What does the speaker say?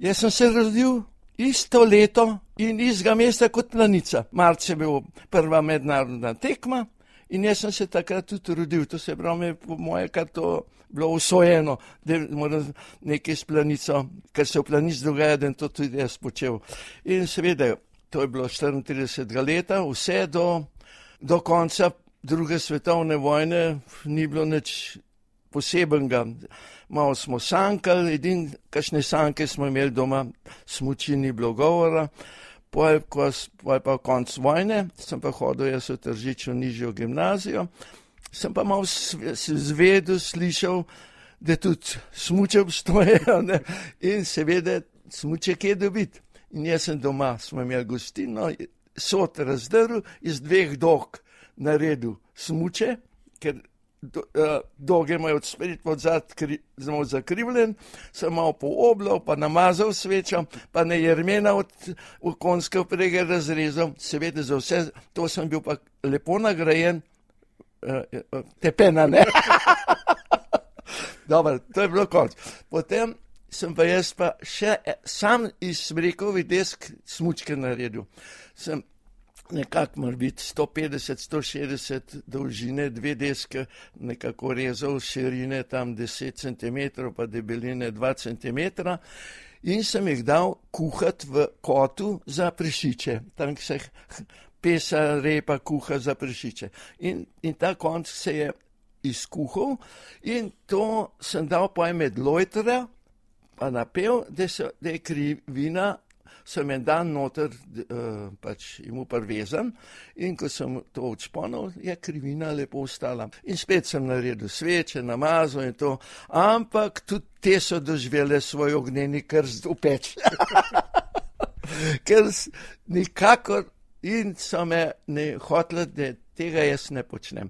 Jaz sem se rodil isto leto in istega mesta kot Planica. Marca je bil prva mednarodna tekma in jaz sem se takrat tudi rodil. To se pravi, po moje, kar to bilo usvojeno, da moram nekaj s Planico, ker se v Planici dogaja, da to tudi jaz počel. In seveda, to je bilo 34 leta, vse do konca druge svetovne vojne ni bilo nič posebenega. Malo smo sankali, kakšne sanke smo imeli doma, smuči ni bilo govora. Poj pa konc vojne, sem pa hodil jaz v Tržiču nižjo gimnazijo, sem pa malo zvedel, slišal, da tudi smuče obstojejo, ne? In seveda smuče kje dobiti. In jaz sem doma, smo imeli gostino, sod razdrl, iz 2 dog naredil smuče, ker doge imajo od spred pod zad zelo zakrivljen, sem malo pooblal, pa namazal svečo, pa ne jermena v konjske vprege razrezal, seveda za vse, to sem bil pa lepo nagrajen, tepena, ne? Dobro, to je bilo konc. Potem sem pa jaz pa še sam iz smrekovih desk smučke naredil. Sem nekako mora biti 150-160 dolžine, 2 deske nekako rezal, širine tam 10 cm, pa debeline 2 cm in sem jih dal kuhati v kotu za prašiče. Tam se pesa, repa kuha za prašiče. In ta konc se je izkuhal in to sem dal pojem med lojtra, pa napel, da je krivina, sem en dan noter pač imel prvezan in ko sem to odšponil, je krivina lepo ostala. In spet sem naredil sveče, namazal in to, ampak tudi te so doživele svoj ognjeni krst v peč. Ker nikakor in so me ne hoteli, da tega jaz ne počnem.